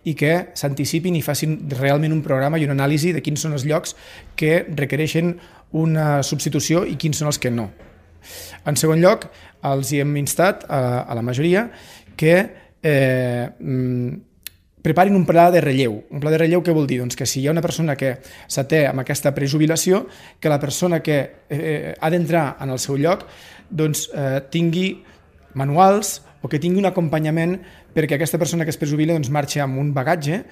i que s'anticipin i facin realment un programa i una anàlisi de quins són els llocs que requereixen una substitució i quins són els que no. En segon lloc, els hi hem instat a la majoria que preparin un pla de relleu. Un pla de relleu què vol dir? Doncs que si hi ha una persona que s'até amb aquesta prejubilació, que la persona que ha d'entrar en el seu lloc tingui manuals o que tingui un acompanyament perquè aquesta persona que es prejubila marxi amb un bagatge